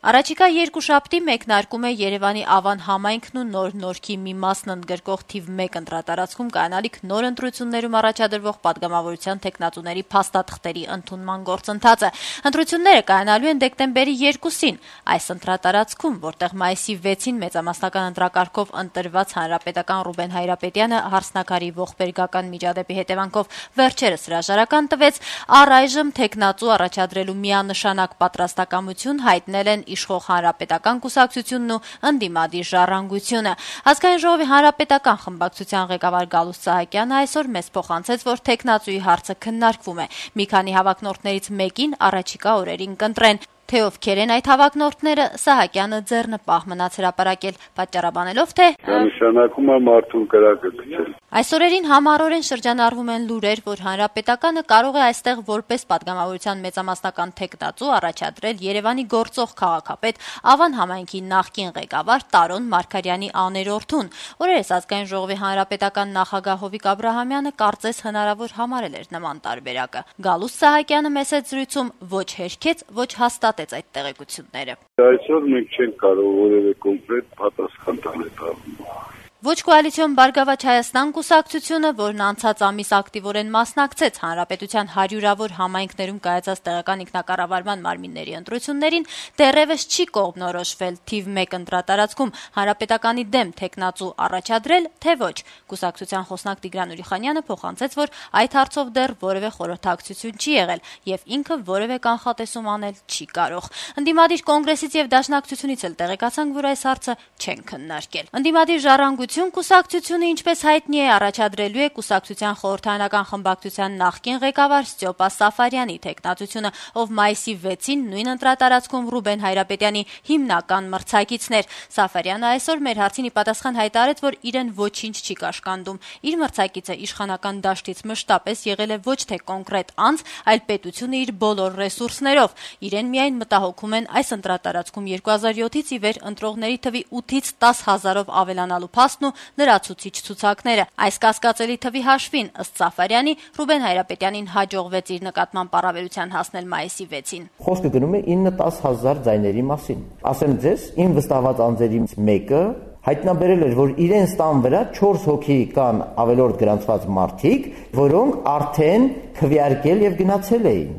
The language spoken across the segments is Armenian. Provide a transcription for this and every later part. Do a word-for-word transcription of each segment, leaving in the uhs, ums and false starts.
Առաջիկա երկուշաբթի մեկնարկում է Երևանի Ավան համայնքն ու Նոր Նորքի մի մասն ընդգրկող թիվ մեկ ընտրատարածքում կայանալիք նոր ընտրություններում առաջադրվող պատգամավորության թեկնածուների փաստաթղթերի ընդունման գործընթացը։ Ընտրությունները կայանալու են դեկտեմբերի երկուսին։ Այս ընտրատարածքում, որտեղ մայիսի վեցին մեծամասնական ընտրակարգով ընտրված հանրապետական Ռուբեն Հայրապետյանը հարսնաքարի ողբերգական միջադեպի հետևանքով վերջերս հրաժարական տվեց, առայժմ թեկնածու առաջադրելու միանշանակ պատրաստակամություն հայտնել են իշխող հանրապետական կուսակցությունն ու ընդդիմադիր ժառանգությունը։ Ազգային ժողովի հանրապետական խմբակցության ղեկավար Գալուստ Սահակյանը այսօր մեզ փոխանցեց, որ թեկնածուի հարցը քննարկվում է։ Մի քանի հավակնորդներից մեկին առաջիկա օրերին կընտրեն։ Թե ովքեր են այդ հավակնորդները, Սահակյանը ձեռնպահ մնաց հրապարակել, պատճառաբանելով, թե նշանակում է մարդուն կրակը գցել։ Այս օրերին համառորեն շրջանառվում են լուրեր, որ հանրապետականը կարող է այստեղ որպես պատգամավորության մեծամասնական թեկնածու առաջադրել Երևանի գործող քաղաքապետ Ավան համայնքի նախկին ղեկավար Տարոն Մարգարյանի աներորդուն։ Օրերս Ազգային ժողովի հանրապետական նախագահ Հովիկ Աբրահամյանը կարծես հնարավոր համարել էր նման տարբերակը։ Գալուստ Սահակյանը մեծ զրույցում ոչ հերքեց, ոչ հաստատեց այդ տեղեկությունները։ Այսօր մենք չենք կարող որևէ կոնկրետ պատասխան տալ այդ առումով։ Ոչ կոալիցիոն Բարգավաճ Հայաստան կուսակցությունը, որն անցած ամիս ակտիվորեն մասնակցեց հանրապետության հարյուրավոր համայնքներում կայացած տեղական ինքնակառավարման մարմինների ընտրություններին, դեռևս չի կողմնորոշվել թիվ մեկ ընտրատարածքում հանրապետականի դեմ թեկնածու առաջադրել, թե ոչ։ Կուսակցության խոսնակ Տիգրան Ուրիխանյանը փոխանցեց, որ այդ հարցով դեռ որևէ խորհրդակցություն չի եղել եւ ինքը որևէ կանխատեսում անել չի կարող։ Ընդդիմադիր կոնգրեսից եւ դաշնակցությունից էլ տեղեկացանք, որ այս հարցը չեն քննարկել։ Ընդդիմադիր ժառանգություն կուսակցությունը, ինչպես հայտնի է, առաջադրելու է կուսակցության խորհրդարանական խմբակցության նախկին ղեկավար Ստյոպա Սաֆարյանի թեկնածությունը, ով մայիսի վեցին նույն ընտրատարածքում Ռուբեն Հայրապետյանի հիմնական մրցակիցներ։ Սաֆարյանը այսօր մեր հարցին ի պատասխան հայտարարեց, որ իրեն ոչինչ չի կաշկանդում։ Իր մրցակիցը իշխանական դաշտից մշտապես եղել է ոչ թե կոնկրետ անձ, այլ պետությունը իր բոլոր ռեսուրսներով։ Իրեն միայն մտահոգում են այս ընտրատարածքում երկու հազար յոթից ի վեր ընտրողների թվի ութից տաս հազարով ավելանալու փաստն ու լրացուցիչ ցուցակները։ Այս կասկածելի թվի հաշվին, ըստ Սաֆարյանի, Ռուբեն Հայրապետյանին հաջողվեց իր նկատմամբ առավելության հասնել մայիսի վեցին։ Խոսքը գնում է ինը-տաս հազար ձայների մասին։ Ասեմ ձեզ, իմ վստահված անձերից մեկը հայտնաբերել էր, որ իրենց տան վրա չորս հոգի կան ավելորդ գրանցված մարդիկ, որոնք արդեն քվեարկել եւ գնացել էին։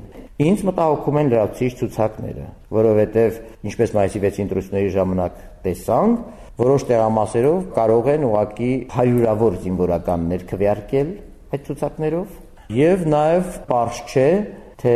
Ինձ մտահոգում են լրացուցիչ ցուցակները, որովհետեւ ինչպես մայիսի վեցի ընտրությունների ժամանակ տեսանք, որոշ տեղամասերով կարող են ուղղակի հարյուրավոր զինվորականներ քվեարկել այդ ցուցակներով եւ նաեւ պարզ չէ, թե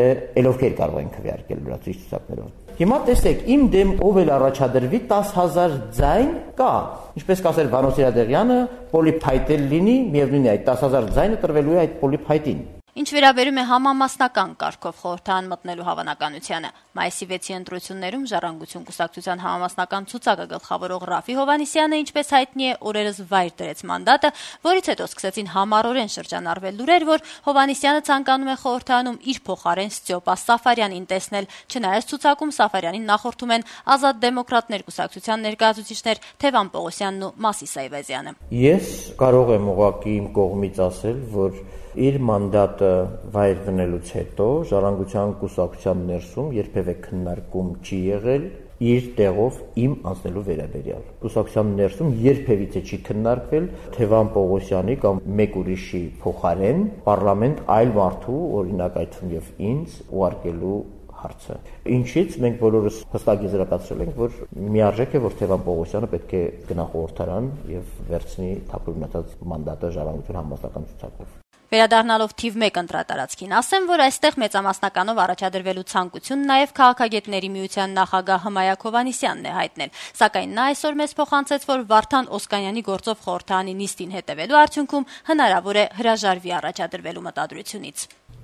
ովքեր կարող են քվեարկել լրացուցիչ ցուցակներով։ Հիմա տեսեք, իմ դեմ ով էլ առաջադրվի տաս հազար ձայն կա։ Ինչպես կասեր Վանո Սիրադեղյանը, պոլիփայտել լինի, միևնույն է այդ տաս հազար ձայնը տրվելու է այդ պոլիփայտին։ Ինչ վերաբերում է համամասնական կարգով խորհրդարան մտնելու հավանականությանը, մայիսի վեցի ընտրություններում Ժառանգություն կուսակցության համամասնական ցուցակը գլխավորող Ռաֆի Հովհաննիսյանը, ինչպես հայտնի է, օրերս վայր դրեց մանդատը, որից հետո սկսեցին համառորեն շրջանառվել լուրեր, որ Հովհաննիսյանը ցանկանում է խորհրդարանում իր փոխարեն Ստյոպա Սաֆարյանին տեսնել, չնայած ցուցակում Սաֆարյանին նախորդում են Ազատ դեմոկրատներ կուսակցության ներկայացուցիչներ Թևան Պողոսյանն ու Մասիս Այվազյանը։ Ես կարող եմ ուղղակի իմ կողմից ասել, որ իր մանդատը վայր դնելուց հետո Ժառանգության կուսակցության ներսում երբևէ քննարկում չի եղել իր տեղով իմ անցնելու վերաբերյալ։ Կուսակցության ներսում երբևիցե չի քննարկվել Թևան Պողոսյանի կամ մեկ ուրիշի փոխարեն պարլամենտ այլ մարդու, օրինակ այդ թվում եւ ինձ, ուղարկելու հարցը։ Ինչից մենք բոլորս հստակ եզրակացրել ենք, որ միարժեք է, որ Թևան Պողոսյանը պետք է գնա խորհրդարան եւ վերցնի թափուր մնացած մանդատը Ժառանգություն համապատասխան ցուցակով։ Վերադառնալով թիվ մեկ ընտրատարածքին, ասեմ, որ այստեղ մեծամասնականով առաջադրվելու ցանկություն նաև քաղաքագետների միության նախագահ Հմայակ Հովհաննիսյանն է հայտնել, սակայն նա այսօր մեզ փոխանցեց, որ Վարդան Օսկանյանի գործով խորհրդարանի նիստին հետևելու արդյունքում հնարավոր է հրաժարվի առաջադրվելու մտադրությունից։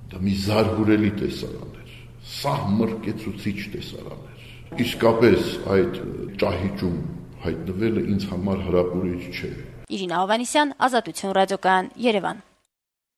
Դա մի զարհուրելի տեսարան էր, սահմռկեցուցիչ տեսարան էր։ Իսկապես այդ ճահիճում հայտնվելը ինձ համար հրապուրիչ չէ։ Իրինա Հովհաննիսյան, Ազատություն ռադիոկայան, Երևան։